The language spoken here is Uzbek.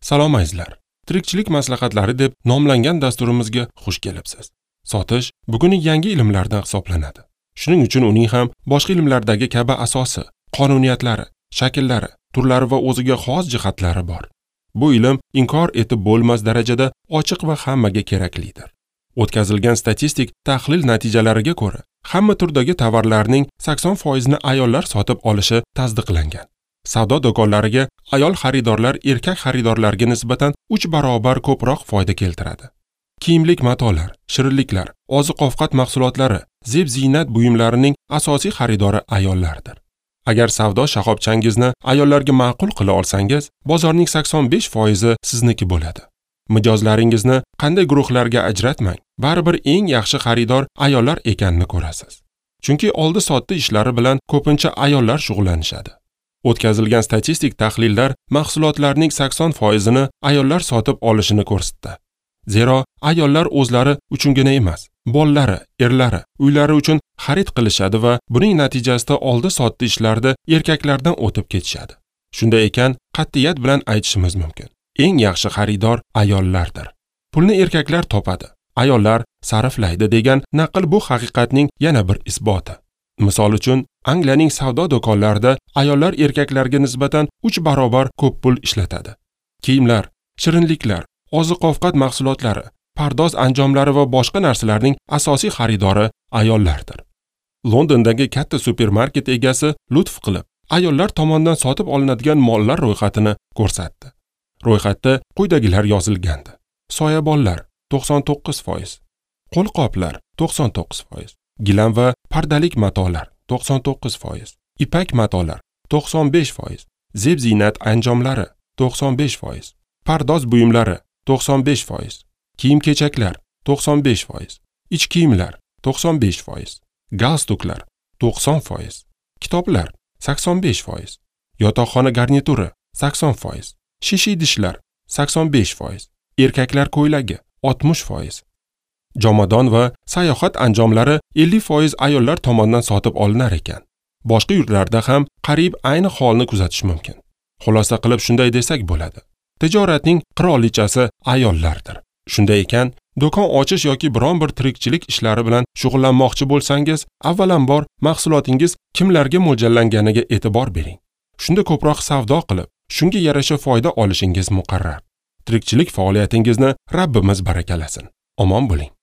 Salom azizlar. Tirikchilik maslahatlari deb nomlangan dasturimizga xush kelibsiz. Sotish bugungi yangi ilmlardan hisoblanadi. Shuning uchun uning ham boshqa ilmlardagi kabi asosi, qonuniyatlari, shakllari, turlari va o'ziga xos jihatlari bor. Bu ilm inkor etib bo'lmas darajada ochiq va hammaga keraklidir. O'tkazilgan statistik tahlil natijalariga ko'ra, hamma turdagi tovarlarning 80% ni ayollar sotib olishi tasdiqlangan. Savdo do'konlariga ayol xaridorlar erkak xaridorlarga nisbatan 3 barobar ko'proq foyda keltiradi. Kiyimlik matolar, shirinliklar, oziq-ovqat mahsulotlari, zeb-ziynat buyumlarining asosiy xaridori ayollardir. Agar savdo shoxobchangizni ayollarga ma'qul qila olsangiz, bozorning 85% sizniki bo'ladi. Mijozlaringizni qanday guruhlarga ajratmang, baribir eng yaxshi xaridor ayollar ekanini ko'rasiz. Chunki oldi-sotdi ishlari bilan ko'pincha ayollar shug'ullanishadi. O'tkazilgan statistik tahlillar mahsulotlarning 80% ni ayollar sotib olishini ko'rsatdi. Zero ayollar o'zlari uchungina emas, bolalari, erlari, uylari uchun xarid qilishadi va buning natijasida oldi-sotdi ishlarda erkaklardan o'tib ketishadi. Shunday ekan, qat'iyat bilan aytishimiz mumkin. Eng yaxshi xaridor ayollardir. Pulni erkaklar topadi, ayollar sarflaydi degan naql bu haqiqatning yana bir isboti. Misol uchun, Angliyaning savdo do'konlarida ayollar erkaklarga nisbatan 3 barobar ko'p pul ishlatadi. Kiyimlar, shirinliklar, oziq-ovqat mahsulotlari, pardoz anjomlari va boshqa narsalarning asosiy xaridori ayollardir. Londondagi katta supermarket egasi lutf qilib, ayollar tomonidan sotib olinadigan mollar ro'yxatini ko'rsatdi. Ro'yxatda quyidagilar yozilgandi: soyabonlar 99%, qo'lqoplar 99%, gilam va pardalik matolar 99%, ipak matolar 95%, zeb-ziynat anjomlari 95%, pardoz buyumlari 95%, kiyim-kechaklar 95%, ich kiyimlar 95%, galstuklar 90%, kitoblar 85%, yotoqxona garnituri 80%, shisha idishlar 85%, erkaklar ko'ylagi 60%, jomadon va sayohat anjomlari 50% ayollar tomonidan sotib olinar ekan. Boshqa yurtlarda ham qariyb ayni holni kuzatish mumkin. Xulosa qilib shunday desak bo'ladi. Tijoratning qirolichasi ayollardir. Shunday ekan, do'kon ochish yoki biron bir tirikchilik ishlari bilan shug'ullanmoqchi bo'lsangiz, avvalambor mahsulotingiz kimlarga mo'ljallanganiga e'tibor bering. Shunda ko'proq savdo qilib, shunga yarasha foyda olishingiz muqarrar. Tirikchilik faoliyatingizni Rabbimiz barakalasin. Omon bo'ling.